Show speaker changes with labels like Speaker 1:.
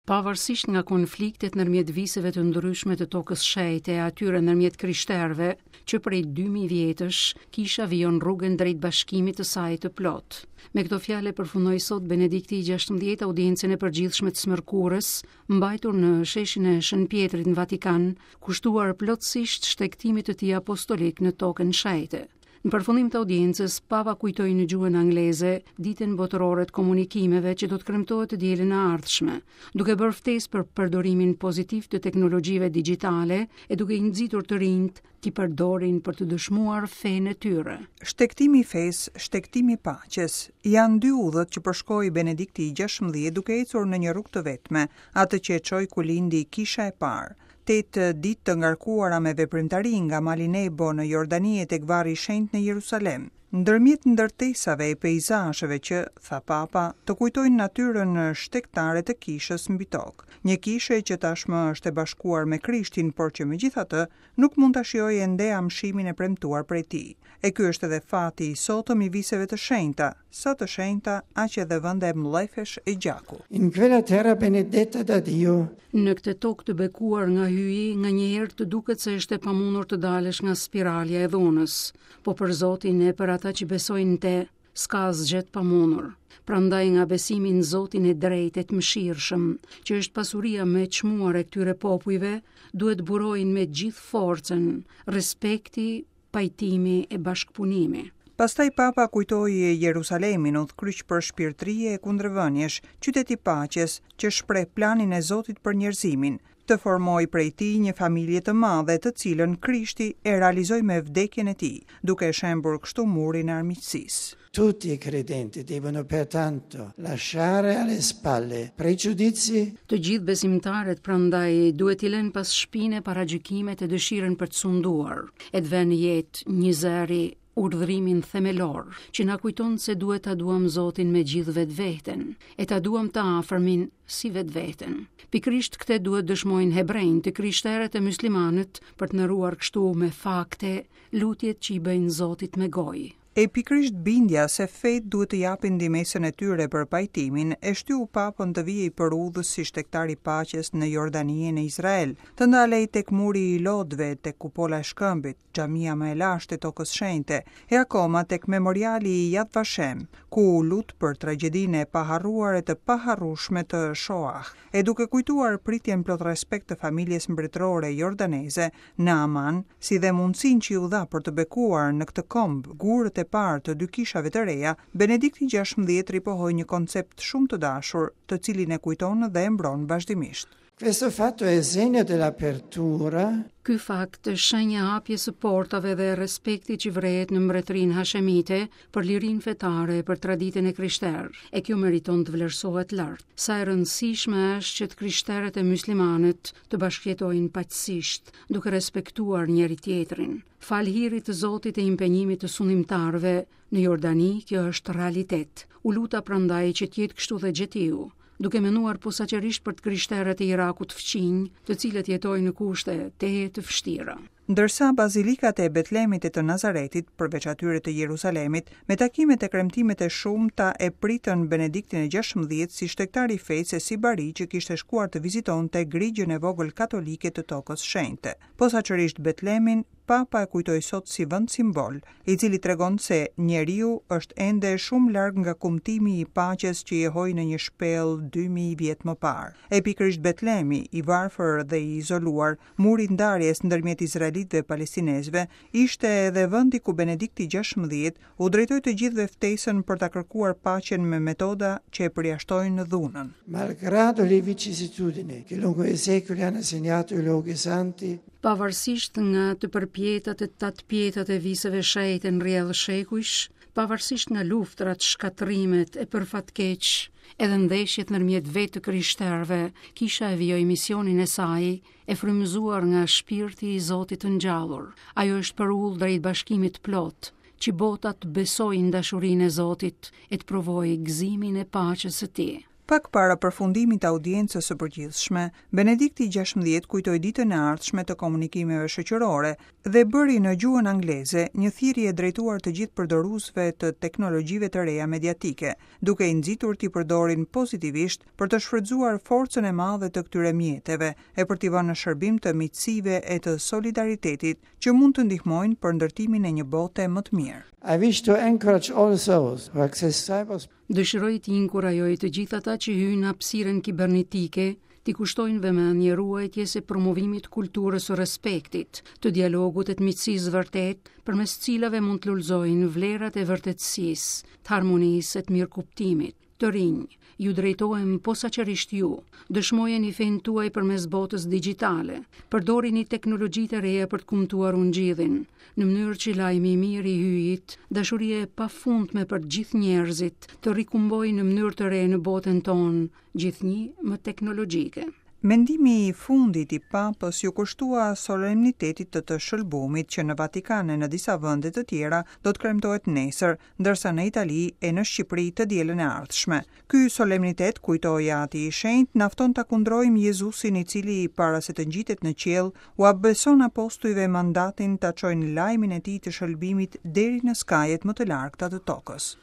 Speaker 1: Pavarësisht nga konfliktet ndërmjet viseve të ndryshme të Tokës Shenjte e atyre ndërmjet krishterëve, që prej 2000 vjetësh, kisha vijon rrugën drejt bashkimit të saj të plotë. Me këto fjalë e përfundoi sot Benedikti i 16 audiencën e përgjithshme të së mërkurës, mbajtur në sheshin e Shën Pjetrit në Vatikan, kushtuar plotësisht shtegtimit të tij apostolik në Tokën Shenjte. Në përfundim të audiencës, Papa kujtoi në gjuhën angleze Ditën Botërore të Komunikimeve që do të kremtohet të dielën e ardhshme, duke bërë ftesë për përdorimin pozitiv të teknologjive digjitale e duke i nxitur të rinjtë t'i përdorin për të dëshmuar fenë e tyre.
Speaker 2: Shtegtimi i fesë, shtegtimi i paqes, janë dy udhët që përshkoi Benedikti i 16 duke ecur në një rrugë të vetme, atë që e çoi ku lindi Kisha e parë. Tetë ditë të ngarkuara me veprimtari nga Mali Nebo në Jordani e tek Varri i Shenjtë në Jerusalem. Ndërmjet ndërtesave e peizazheve që, tha Papa, të kujtojnë natyrën shtegtare të Kishës mbi tokë. Një kishe që tashmë është e bashkuar me Krishtin, por që megjithatë nuk mund ta shijojë ende amshimin e premtuar prej tij. E ky është edhe fati i sotëm i viseve të shenjta, sa të shenjta, aq edhe vende mllefesh e gjaku.
Speaker 3: In quella terra benedetta da Dio.
Speaker 1: Në këtë tokë të bekuar nga Hyji, nganjëherë të duket se është e pamundur të dalësh nga spiralja e dhunës. Po për Zotin e për ata që besojnë në te, s'ka asgjë të pamundur. Prandaj nga besimi në Zotin e drejtë e të mëshirshëm, që është pasuria më e çmuar e këtyre popujve, duhet të burojnë me gjithë forcën, respekti, pajtimi e bashkëpunimi.
Speaker 2: Pastaj Papa kujtoi Jerusalemin, udhëkryq përshpirtërie e kundërvëniesh, qytet i paqes, që shpreh planin e Zotit për njerëzimin, të formojë prej tij një familje të madhe, të cilën Krishti e realizoi me vdekjen e tij, duke shembur kështu murin e armiqësisë.
Speaker 3: Tutti i credenti devono pertanto lasciare alle spalle pregiudizi.
Speaker 1: Të gjithë besimtarët prandaj duhet t'i lënë pas shpine paragjykimet e dëshirën për të sunduar, e të vënë në jetë njëzëri urdhërimin themelor, që na kujton se duhet ta duam Zotin me gjithë vetveten, e ta duam të afërmin si vetveten. Pikërisht këtë duhet dëshmojnë hebrenjtë, të krishterët e myslimanët për të nderuar kështu me fakte lutjet që i bëjnë Zotit me gojë.
Speaker 2: E pikërisht bindja se fetë duhet të japin ndihmesën e tyre për pajtimin, e shtyu Papën të vihej për udhës si shtegtar i paqes në Jordani e në Izrael, të ndalej tek Muri i Lotëve, tek Kupola e Shkëmbit, xhamia më e lashtë e Tokës Shenjte, e akoma tek memoriali i Yad Vashem, ku u lut për tragjedinë e paharruar e të paharrueshme të Shoah. E duke kujtuar pritjen plot respekt të familjes mbretërore jordaneze në Aman, si dhe mundësinë që iu dha për të bekuar në këtë komb gurët e parë të dy kishave të reja, Benedikti 16 ripohoi një koncept shumë të dashur, të cilin e kujton dhe e mbron vazhdimisht.
Speaker 3: Questo fatto è segno dell'apertura.
Speaker 1: Ky fakt është shenjë e hapjes së portave dhe e respektit që vërehet në Mbretërinë Hashemite për lirinë fetare e për traditën e krishterë, e kjo meriton të vlerësohet lart. Sa e rëndësishme është që të krishterët e myslimanët të bashkëjetojnë paqësisht, duke respektuar njëri-tjetrin. Falë hirit të Zotit e impenjimit të sundimtarëve në Jordani, kjo është realitet. U luta prandaj që të jetë kështu dhe gjetiu, duke menduar posaçërisht për të krishterët e Irakut fqinj, të cilët jetojnë në kushte tejet të vështira.
Speaker 2: Ndërsa bazilikat e Betlemit e të Nazaretit, përveç atyre të Jerusalemit, me takimet e kremtimet e shumta e pritën Benediktin e 16 si shtegtar i fesë e si bari që kishte shkuar të vizitonte grigjën e vogël katolike të Tokës Shenjte. Posaçërisht Betlemin, Papa e kujtoi sot si vend simbol, i cili tregon se njeriu është ende shumë larg nga kumtimi i paqes që jehoi në një shpellë 2000 vjet më parë. E pikërisht Betlemi, i varfër dhe i izoluar, muri i ndarjes ndërmjet izraelitëve e palestinezëve, ishte edhe vendi ku Benedikti 16 u drejtoi të gjithëve ftesën për ta kërkuar paqen me metoda që e përjashtojnë dhunën.
Speaker 3: Malgrado le vicissitudini che lungo i secoli hanno segnato i luoghi santi,
Speaker 1: Pavarësisht nga të përpjetat e tatëpjetat e viseve shenjte në rrjedhë shekujsh, pavarësisht nga luftërat, shkatërrimet e për fat keq, edhe ndeshjet ndërmjet vetë të krishterëve, kisha e vijoi misionin e saj, e frymëzuar nga shpirti i Zotit të ngjallur. Ajo është përulë drejt bashkimit të plotë, që bota të besojë në dashurinë e Zotit e të provojë gëzimin e paqes së tij.
Speaker 2: Pak para përfundimit të audiencës së përgjithshme, Benedikti 16 kujtoi ditën e ardhshme të komunikimeve shoqërore dhe bëri në gjuhën angleze një thirrje drejtuar të gjithë përdoruesve të teknologjive të reja mediatike, duke i nxitur t'i përdorin pozitivisht për të shfrytëzuar forcën e madhe të këtyre mjeteve e për t'i vënë në shërbim të miqësive e të solidaritetit që mund të ndihmojnë për ndërtimin e një bote më të mirë.
Speaker 3: I wish to encourage all those who access cyberspace
Speaker 1: Dëshiroj t'i inkurajoj të gjithë ata që hyjnë në hapësirën kibernetike, t'i kushtojnë vëmendje ruajtjes e promovimit të kulturës së respektit, të dialogut e të miqësisë së vërtetë, përmes të cilave mund të lulëzojnë vlerat e vërtetësisë, të harmonisë e të mirëkuptimit. Të rinj, ju drejtohem posaçërisht ju, dëshmojeni fenë tuaj përmes botës digjitale, përdorini teknologjitë e reja për të kumtuar ungjillin, në mënyrë që lajmi i mirë i Hyjit, dashuria e pafundme për të gjithë njerëzit, të rikumbojë në mënyrë të re në botën tonë, gjithnjë më teknologjike.
Speaker 2: Mendimi i fundit i Papës iu kushtua solemnitetit të të Shëlbumit që në Vatikan e në disa vende të tjera do të kremtohet nesër, ndërsa në Itali e në Shqipëri të dielën e ardhshme. Ky solemnitet, kujtoi Ati i Shenjtë, na fton ta kundrojmë Jezusin i cili, para se të ngjitet në qiell, ua beson apostujve mandatin ta çojnë lajmin e tij të shëlbimit deri në skajet më të largëta të tokës.